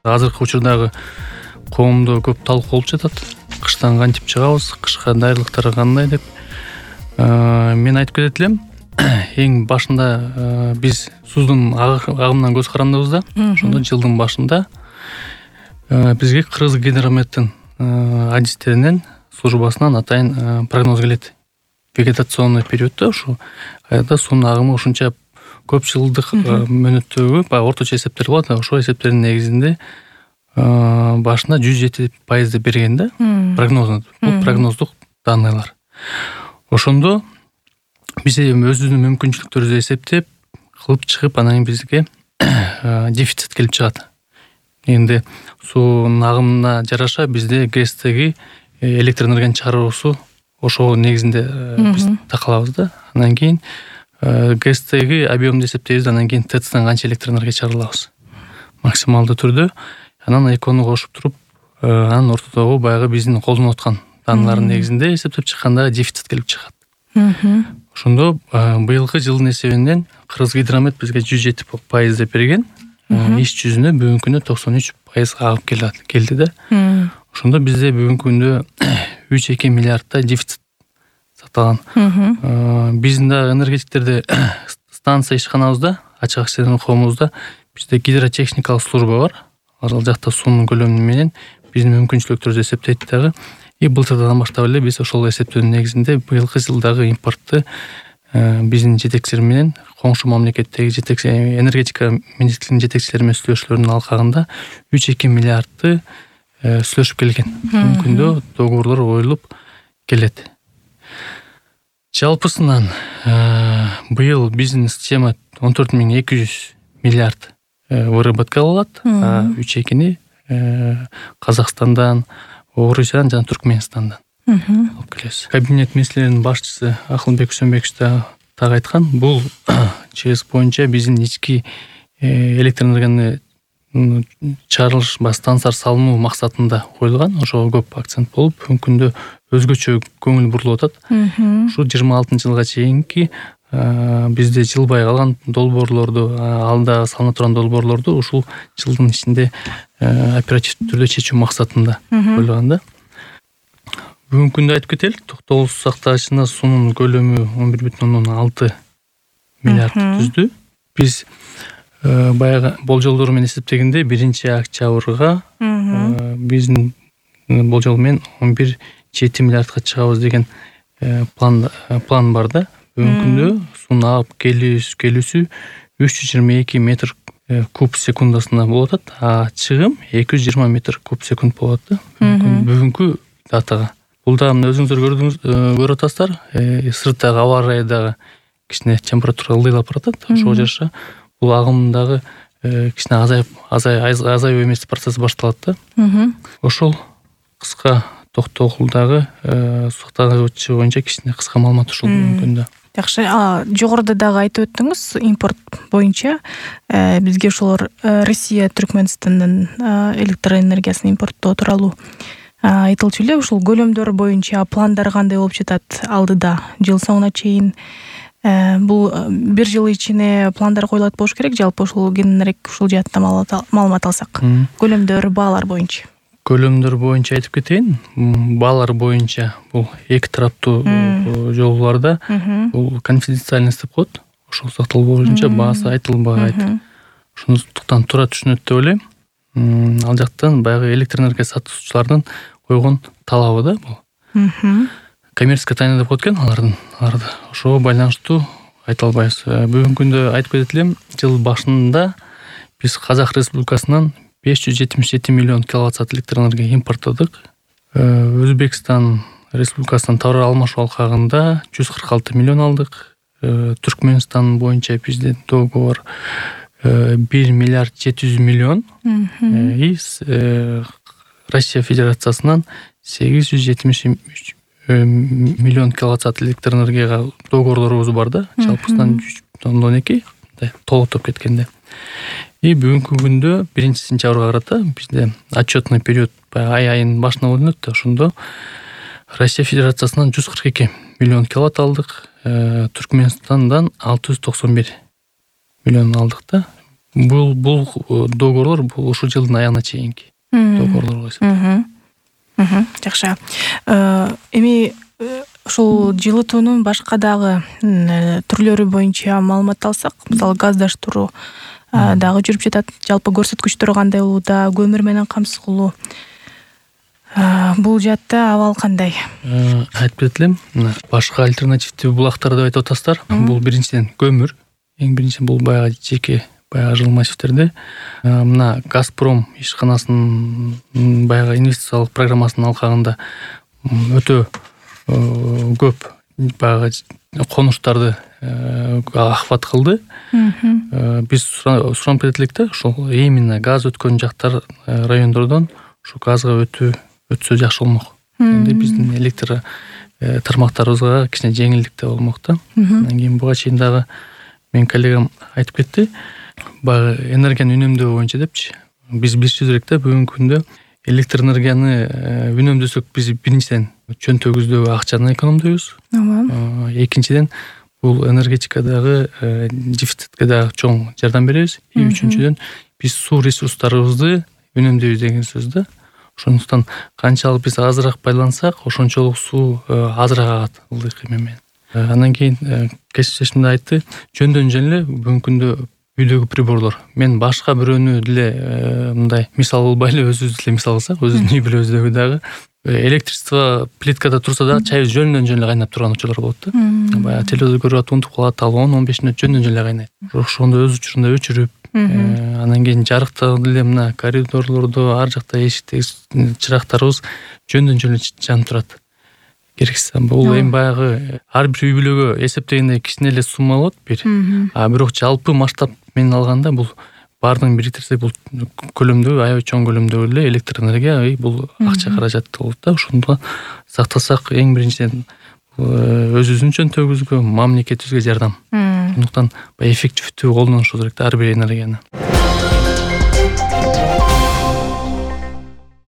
азыркы учурдагы коомдо көп талкуу болуп жатат. Кыштан кантип чыгабыз, кышка даярдыктар кандай деп. Мен айтып кетет элем, эң башында биз суздун агымынан көз карандыбыз да. Ошондо жылдын башында бизге Кыргызгидрометтин адистеринен службасынан атайын прогноз келет. Вегетационный периодто ушу кайда суунун агымы ушунча көп жылдык мөөнөттөгү орточо эсептер болот. Ошол эсептердин негизинде башында 107% берген да прогнозду. Бул прогноздук данныйлар. Ошондо биз өзүбүздүн мүмкүнчүлүктөрүбүздү эсептеп кылып чыгып, анан бизге дефицит келип чыгат. Энди суунун агымына жараша бизде ГЭСтеги электр энергияны чыгаруусу ошол негизинде биз такалабыз да. Андан кийин ГЭСтеги объемду эсептейбиз, анан кийин ТЭЦтен канча электр энергия чыгара алабыз максималдуу түрдө. Анан экөөнү кошуп туруп, анан ортодогу баягы биздин колдонуп аткан данналардын негизинде эсептеп чыкканда дефицит келип чыгат. Ошондо быйылкы жылдын эсебинен Кыргызгидромет бизге 107% берген. Иш жүзүнө бүгүнкү күндө 93% агып келди да. Ошондо бизде бүгүнкү күндө 3,2 миллиардтай дефицит сакталган. Биздин да энергетиктерде станция ишканабызда, ачык акчадан коомузда бизде гидротехникалык служба бар. Ал жакта суунун көлөмү менен биздин мүмкүнчүлүктөрүбүздү эсептейт дагы. Былтырдан баштап эле биз ошол эсептөөнүн негизинде быйылкы жылдагы импортты биздин жетекчилер менен коңшу мамлекеттеги энергетика министрлигинин жетекчилери менен сүйлөшүүлөрдүн алкагында 3,2 миллиардты сүйлөшүп келген. Бүгүнкү күндө договорлор коюлуп келет. Жалпысынан быйыл биздин система 14,200 миллиард выработка алат. 3,2-ни Казакстандан, Орусиядан жана Түркменистандан алып келебиз. Кабинет министрлеринин башчысы Акылбек Үсөнбекович так айткан, бул ЧС боюнча биздин ички электр энергияны чыгарылыш станциялар салынуу максатында коюлган. Ошого көп акцент болуп, бүгүнкү күндө өзгөчө көңүл бурулуп атат. Ушу 26-жылга чейинки бизде жылбай калган долбоорлорду, алда салына турган долбоорлорду ушул жылдын ичинде оперативдүү түрдө чечүү максатында коюлган да. Бүгүнкү күндө айтып кетели, токтогул сактагычына суунун көлөмү 11,6 миллиард түздү. Биз баягы болжолдор менен эсептегенде 1-октябрга биздин болжол менен 11,7 миллиардга чыгабыз деген план бар да. Бүгүнкү күндө суунун агып келүүсү 322 метр куб секундасына болот, а чыгым 220 метр куб секунд болот да. Бүгүнкү датага. Бул да өзүңүздөр көрүп атасыздар, сырттагы аба ырайдагы кичине температура ылдыйлап баратат. Ошого жараша бул агымдагы кичине азайып эмес процесс башталат да. Ошол кыска токтогулдагы сактагычы боюнча кичине кыска маалымат ушул бүгүнкүндө. Жакшы. Жогоруда дагы айтып өттүңүз, импорт боюнча бизге ошолор Россия, Түркменистандан электр энергиясын импорттоо тууралуу айтылчу эле. Ушул көлөмдөр боюнча пландар кандай болуп жатат алдыда жыл соңуна чейин? Бул бир жыл ичине пландар коюлат болуш керек. Жалпы ушул кененирээк ушул жаатта маалымат алсак. Көлөмдөр, баалар боюнча. Көлөмдөр боюнча айтып кетейин. Баалар боюнча бул эки тараптуу жолдорда бул конфиденциальность деп коет. Ошол сакталуу боюнча баасы айтылбайт. Ошондуктан туура түшүнөт деп ойлойм. Ал жактан баягы электр энергия сатуучулардын койгон талабы да бул. Коммерческая тайна деп коет экен алардын. Ошого байланыштуу айта албайбыз. Бүгүнкү күндө айтып кетет элем, жыл башында биз Казак Республикасынан 577 миллион киловатт-саат электр энергия импорттодук. Өзбекстан Республикасынан товар алмашуу алкагында 146 миллион алдык. Түркменстан боюнча бизде договор 1 миллиард 700 миллион. Россия Федерациясынан 873 миллион киловатт-саат электр энергияга договорлорубуз бар да. Жалпысынан 3,2 толуктоп кеткенде. Бүгүнкү күндө 1-сентябрга карата бизде отчетный период айынын башына болот да. Ошондо Россия Федерациясынан 142 миллион киловатт алдык, Түркменистандан 691 миллион алдык да. Бул договорлор бул ушул жылдын аягына чейинки договорлор болот. Жакшы. Эми ушул жылытуунун башка дагы түрлөрү боюнча маалымат алсак, мисалы газдаштыруу дагы жүрүп жатат. Жалпы көрсөткүчтөр кандай болууда, көмүр менен камсыз кылуу. Бул жаатта абал кандай? Айтып кетелем. Башка альтернативдүү булактар деп айтып атасыздар. Бул биринчиден көмүр. Эң биринчи бул баягы жеке жылуу массивтерде. Мына Газпром ишканасынын баягы инвестициялык программасынын алкагында өтө көп баягы конуштарды охват кылды. Биз суранып кетет элек да, ошол именно газ өткөн жактар райондордон ушу газга өтсө жакшы болмок. Эми биздин электр тармактарыбызга кичине жеңилдик да болмок да. Андан кийин буга чейин дагы менин коллегам айтып кетти. Баягы энергияны үнөмдөө боюнча депчи. Биз билишибиз керек да, бүгүнкү күндө электр энергияны үнөмдөсөк биз биринчиден чөнтөгүбүздөгү акчаны экономдойбуз. Экинчиден бул энергетикадагы дефицитке дагы чоң жардам беребиз. Үчүнчүдөн биз суу ресурстарыбызды үнөмдөйбүз деген сөз да. Ошондуктан канчалык биз азыраак байлансак, ошончолук суу азыраак агат ылдый кыймыл менен. Андан кийин кесиптешим да айтты, жөндөн жөн эле бүгүнкү күндө үйдөгү приборлор. Мен башка бирөөнү деле мындай мисал кылбай эле өзүбүз деле мисал кылсак, өзүбүздүн үй бүлөбүздөгү дагы электричество плиткада турса дагы чайыбыз жөндөн жөн эле кайнап турган учурлар болот да. Баягы телевизор көрүп атып унутуп калат, ал 10-15 мүнөт жөндөн жөн эле кайнайт. Ошондо өз учурунда өчүрүп, андан кийин жарыкта деле мына коридорлордо ар жакта эшикте чырактарыбыз жөндөн жөн эле жанып турат. Керексиз. Бул эми баягы ар бир үй бүлөгө эсептегенде кичине эле сумма болот бир. Бирок жалпы масштаб менен алганда бул баардыгын бириктирсек бул көлөмдө, аябай чоң көлөмдө эле электр энергия бул акча каражат болот да. Ошондо сактасак эң биринчиден өзүбүздүн чөнтөгүбүзгө, мамлекетибизге жардам. Ошондуктан эффективдүү колдонуш керек да ар бир энергияны.